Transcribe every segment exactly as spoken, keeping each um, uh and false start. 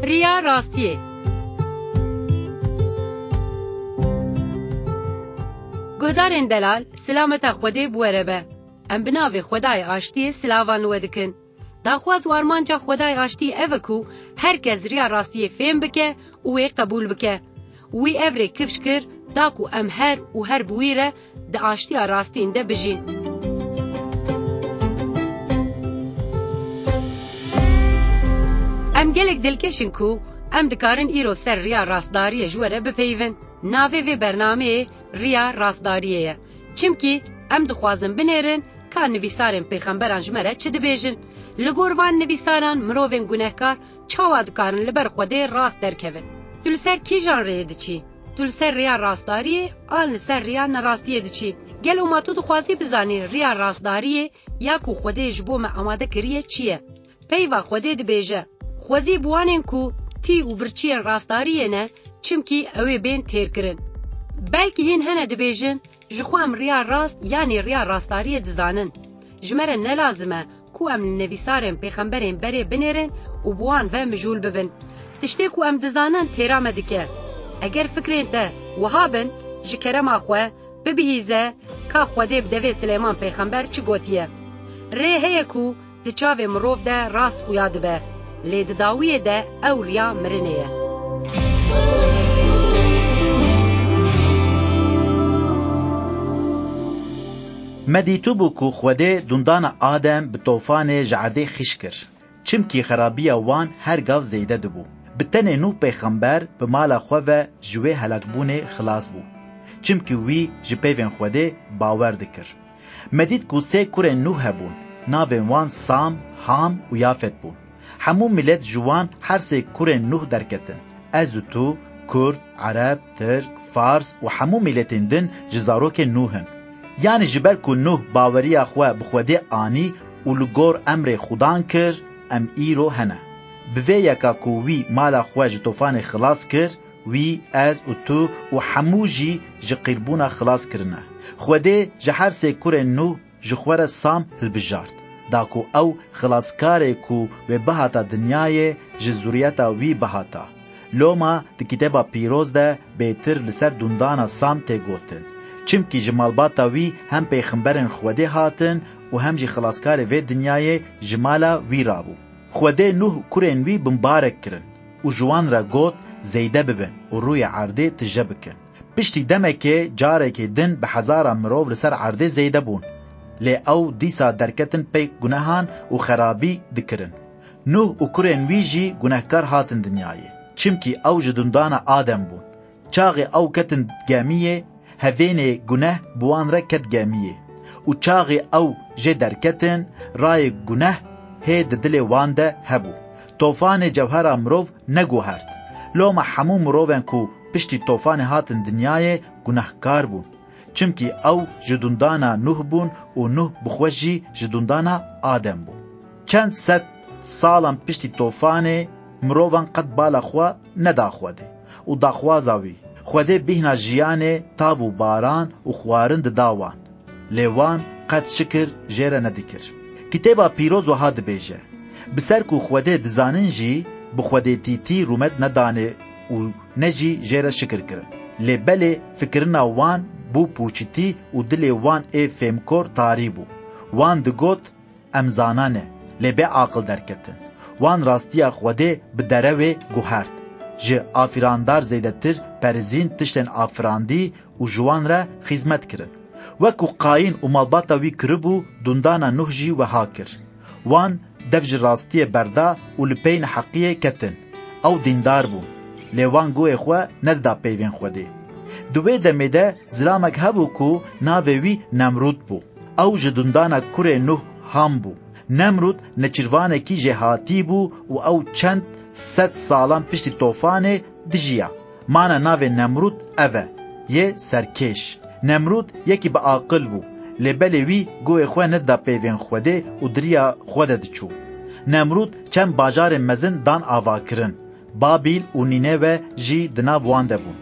Riya rastiyê. Guhdarên delal, silameta Xwedê bi we re be. Em bi navê Xwedayê Aştiyê silavan li we dikin. Daxwaz û armanca Xwedayê Aştiyê ev e ku her kes riya rastiyê fêm bike û wê qebûl bike. Wî ev rê kifş kir, da ku em her û her bi wî re di aştiya rastîn de bijîn. Em gelek dilkeş in ku em dikarin îro ser riya rastdariyê ji we re bipeyivin. Navê vê bernameyê Riya Rastdariyê ye. Çimkî em dixwazin binêrin ka nivîsarên pêxemberan ji me re çi dibêjin. Li gor van nivîsaran mirovên gunehkar çawa dikarin li ber Xwedê rast derkevin? Tu li ser kîjan rêyê diçî? Tu li ser rêya rastdariyê an li ser rêya nerastiyê diçî? Gelo ma tu dixwazî bizanî rêya rastdariyê ya ku Xwedê ji bo me amade kiriye çi ye? Peyva Xwedê dibêje, Xwezî bi wanên ku tî û birçiyên rastdariyê ne, çimkî ew ê bên têrkirin. Belkî hîn hene dibêjin, Ji xwe em riya rast yanî riya rastdariyê dizanin. Ji me re ne lazim e ku em li nivîsarên pêxemberên berê binêrin û bi wan ve mijûl bibin. Tiştê ku em dizanin têra me dike. Eger fikrên te wiha bin, ji kerema xwe bibihîze ka Xwedê bi devê Silêman pêxember çi gotiye. Rê heye ku di çavê mirov de rast xuya dibe, lê di dawiyê de ew riya mirinê ye. Me dîtibû ku Xwedê dundana Adem bi tofanê ji erdê xîş kir, çimkî xerabiya wan her gav zêde dibû. Bi tenê Nûh pêxember bi mala xwe ve ji wê helakbûnê xilas bû, çimkî wî ji peyvên Xwedê bawer dikir. Me dît ku sê kurên Nûh hebûn, navên wan Sam, Ham û Yafet bûn. Hemû milet ji wan her sê kurên Nûh derketin. Ez û tu, Kurd, Ereb, Tirk, Fars û hemû miletên din ji zarokên Nûh in. Yanî ji ber ku Nûh baweriya xwe bi Xwedê anî û li gor emrê Xudan kir, em îro hene. Bi vê yeka ku wî mala xwe ji tofanê xilas kir, wî, ez û tu û hemû jî ji qîrbûna xilas kirine. Xwedê ji her sê kurên Nûh ji xwe re Sam hilbijart, da ku ew xilaskarê ku wê bihata dinyayê ji zuriyeta wî bihata. Loma di Kitêba Pîroz de bêtir li ser dundana Sam tê gotin. Çimkî ji malbata wî hem pêxemberên Xwedê hatin û hem jî xilaskarê vê dinyayê ji mala wî rabû. Xwedê Nûh û kurên wî bimbarek kirin û ji wan re got, zêde bibin û rûyê erdê tije bikin. Piştî demekê carekê din bi hezara mirov li ser erdê zêde bûn. Lê ew dîsa derketin pey gunehan û xerabî dikirin. Nûh û kurên wî jî gunehkar hatin dinyayê. Çimkî ew ji dundana Adem bûn. Çaxê ew ketin gemiyê, hevênê guneh bi wan re ket gemiyê. Û çaxê ew jê derketin, rayê guneh hê di dilê wan de hebû. Tofanê cewhera mirov neguhert. Loma hemû mirovên ku piştî tofanê hatin dinyayê gunehkar bûn. Çimkî ew ji dundana Nuh bûn û Nuh bi xwe jî ji dundana Adem bû. Çend sed salan piştî tofanê mirovan qet bala xwe neda Xwedê û daxwaza wî. Xwedê bîhna jiyanê, tav û baran û xwarin dida wan. Lê wan qet şikir jê re nedikir. Kitêba Pîroz wiha dibêje, bi ser ku Xwedê dizanin jî, bi xwedêtîtî rûmet nedanê û ne jî jê re şikir kirin. Lê belê fikirina wan bû pûçitî û dilê wan ê fêmkor tarî bû. Wan digot, em zana ne, lê bê aqil derketin. Wan rastiya Xwedê bi derewê guhert. Ji afirandar zêdetir perizîn tiştên afirandî û ji wan re xîzmet kirin. Wek ku Qayîn û malbata wî kiribû, dundana Nuh jî wiha kir. Wan dev ji rastiyê berda û li pey neheqiyê ketin. Ew dîndar bûn, lê wan guhê xwe nedida peyvên Xwedê. Di wê demê de zilamek hebû ku navê wî Nemrûd bû. Ew ji dundana kurê Nuh Ham bû. Nemrûd neçîrvanekî jêhatî bû û ew çend sed salan piştî tofanê dijiya. Mana navê Nemrûd ev e, yê serkêş. Nemrûd yekî bi aqil bû, lê belê wî guhê xwe nedida peyvên Xwedê û di riya xwe de diçû. Nemrûd çend bajarên mezin dan avakirin. Babîl û Nînewe jî di nav wan de bûn.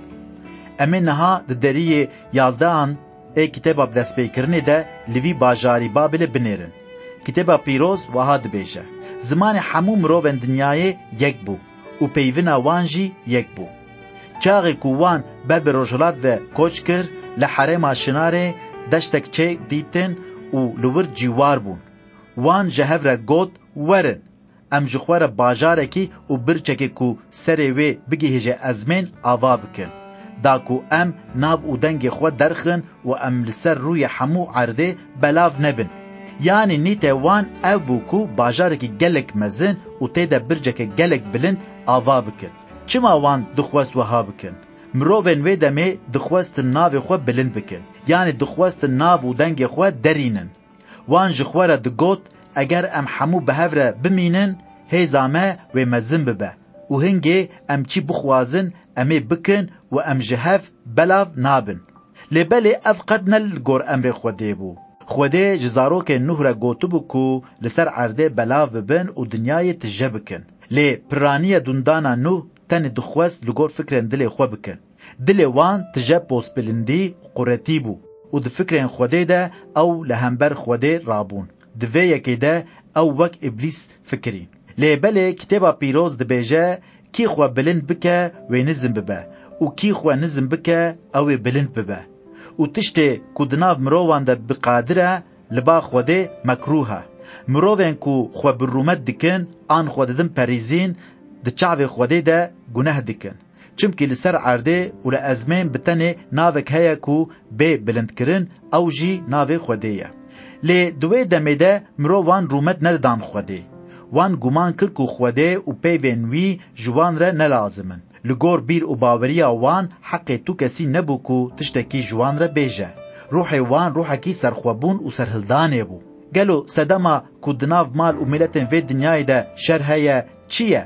Em ê niha di deriyê yazdehan ê kitêba bi destpêkirinê de li vî bajarî Babîlê binêrin. Kitêba Pîroz wiha dibêje, zimanê hemû mirovên dinyayê yek bû û peyvina wan jî yek bû. Çaxê ku wan ber bi rojhilat ve koç kir, li herêma Şinarê deştek çê dîtin û li wir cîwar bûn. Wan ji hev re got, Werin, em ji xwe re bajarekî û birçekê ku serê wê bigihêje ezmên ava bikin, da ku em nav û dengê xwe derxin û em li ser rûyê hemû erdê belav nebin. Yanî nîte wan ev bû ku bajarekî gelek mezin û tê de birceke gelek bilind ava bikin. Çima wan dixwest wiha bikin? Mirovên wê demê dixwestin navê xwe bilind bikin. Yanî dixwestin nav û dengê xwe derînin. Wan ji xwe re digot, Eger em hemû bi hev re bimînin, hêza me wê mezin bibe û hingê em çi bixwazin, em ê bikin û em ji hev belav nabin. Lê belê ev qet ne li gor emrê Xwedê bû. Xwedê ji zarokên Nuh re gotibû ku li ser erdê belav bibin û dinyayê tije bikin. Lê piraniye dundana Nuh tenê dixwest li gor fikrên dilê xwe bikin. Dilê wan tije postbilindî û quretî bû û di fikrên Xwedê de ew li hember Xwedê rabûn. Di vê yekê de ew wek Îblîs fikirîn. Lê belê Kitêba Pîroz dibêje, Kî xwe bilind bike, wê nizm bibe û kî xwe nizm bike, ew ê bilind bibe. Û tiştê ku di nav mirovan de bi qadir e, li ba Xwedê mekrûh e. Mirovên ku xwe bi rûmet dikin an xwe didin perîzîn, di çavê Xwedê de guneh dikin. Çimkî li ser erdê û li ezmên bi tenê navek heye ku bê bilindkirin, ew jî navê Xwedê ye. Lê di wê demê de mirovan rûmet nedidan Xwedê. Wan guman kir ku Xwedê û peyvên wî ji wan re ne lazim in. Li gor bîr û baweriya wan heqê tu kesî nebû ku tiştekî ji wan re bêje. Ruhê wan ruhekî serxwebûn û serhildanê bû. Gelo sedema ku di nav mal û miletên vê dinyayê de şer heye çi ye?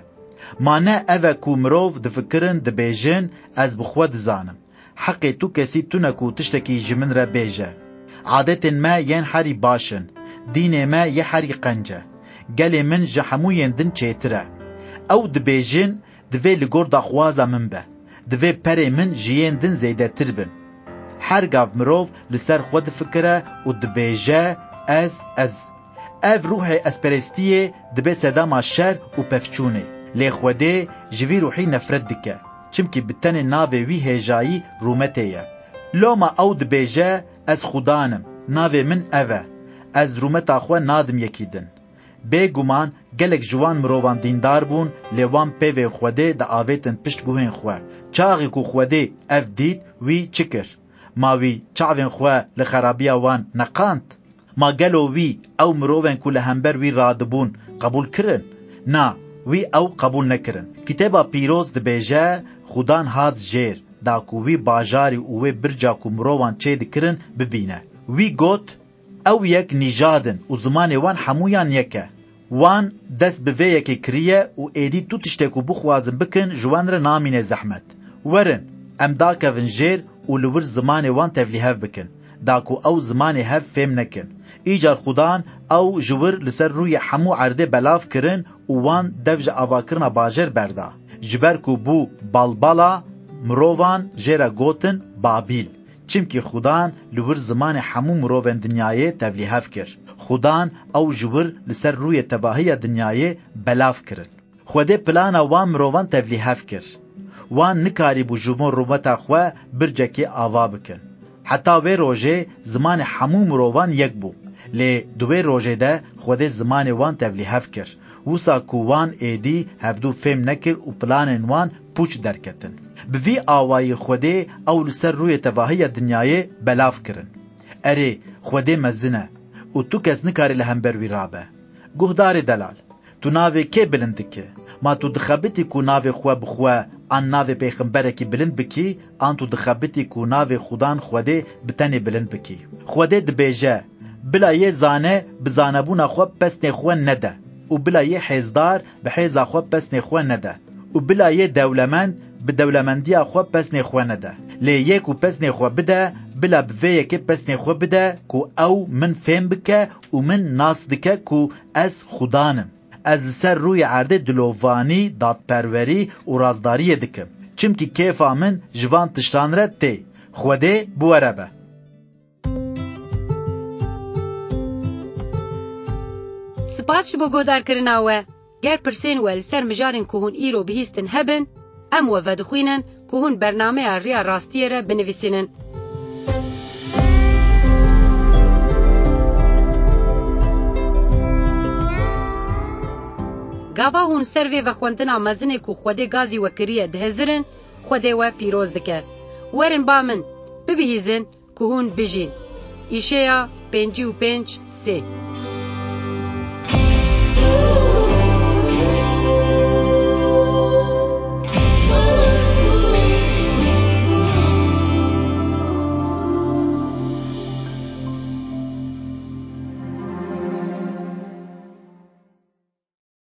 Ma ne ev e ku mirov difikirin, dibêjin, Ez bi xwe dizanim. Heqê tu kesî tune ku tiştekî ji min re bêje. Adetên me yên herî baş in. Dînê me yê herî qenc e. Gelê min ji hemû yên din çêtir e. Ew dibêjin, Divê li gor daxwaza min be. Divê perê min ji yên din zêdetir bin. Her gav mirov li ser xwe difikire û dibêje, Ez, ez. Ev ruhê ezperestiyê dibe sedema şer û pevçûnê. Lê Xwedê ji vî ruhî nefret dike. Çimkî bi tenê navê wî hêjayî rûmetê ye. Loma ew dibêje, Ez Xudan im, navê min ev e. Ez rûmeta xwe nadim yekî din. Bêguman gelek ji wan mirovan dîndar bûn, lê wan peyvên Xwedê diavêtin pişt guhên xwe. Çaxê ku Xwedê ev dît, wî çi kir? Ma wî çavên xwe li xerabiya wan neqand? Ma gelo wî ew mirovên ku li hember wî radibûn qebûl kirin? Na, wî ew qebûl nekirin. Kitêba Pîroz dibêje, Xudan hat jêr, da ku wî bajarî û wê birca ku mirovan çêdikirin bibîne. Wî got, Ew yek nîjad in û zimanê wan hemûyan yek e. Wan dest bi vê yekê kiriye û êdî tu tiştê ku bixwazin bikin ji wan re namîne zehmet. Werin, em dakevin jêr û li wir zimanê wan tevlîhev bikin, da ku ew zimanê hev fêm nekin. Îcar Xudan ew ji wir li ser rûyê hemû erdê belav kirin û wan dev ji avakirina bajêr berda. Ji ber ku bû balbala mirovan jê re gotin Babîl. Çimkî Xudan li wir zimanê hemû mirovên dinyayê tevlîhev kir. Xudan ew ji wir li ser rûyê tevahiya dinyayê belav kirin. Xwedê plana wan mirovan tevlîhev kir. Wan nikarîbû ji bo rûmeta xwe bircekê ava bikin. Heta wê rojê zimanê hemû mirovan yek bû. Lê di wê rojê de Xwedê zimanê wan tevlîhev kir. Wisa ku wan êdî hevdû fêm nekir û planên wan pûç derketin. Bi vî awayî Xwedê ew li ser rûyê tevahiya dinyayê belav kirin. Erê, Xwedê mezin e û tu kes nikare li hember wî rabe. Guhdarê delal, tu navê kê bilind dike? Ma tu dixebitî ku navê xwe bi xwe an navê pêxemberekî bilind bikî, an tu dixebitî ku navê Xudan Xwedê bi tenê bilind bikî? Xwedê dibêje, Bila yê zane bi zanebûna xwe pesnê xwe nede û bila yê hêzdar bi hêza xwe pesnê xwe nede û bila yê dewlemend bi dewlemendiya xwe pesnê xwe nede. Lê yê ku pesnê xwe bide, bila bi vê yekê pesnê xwe bide ku ew min fêm bike û min nas dike ku ez Xudan im. Ez li ser rûyê erdê dilovanî, dadperwerî û razdariyê dikim. Çimkî kêfa min ji van tiştan re tê. Xwedê bi we re be. Spas ji bo guhdarkirina we. Ger pirsên we li ser mijarên ku hûn îro bihîstin hebin, em we vedixwînin ku hûn bernameya Riya Rastiyê re binivîsînin. Gava hûn ser vê vexwendina mezinê ku Xwedê gazî we kiriye dihizirin, Xwedê we pîroz dike. Werin ba min, bibihîzin ku hûn bijîn. Îşeya pêncî û pênc sê.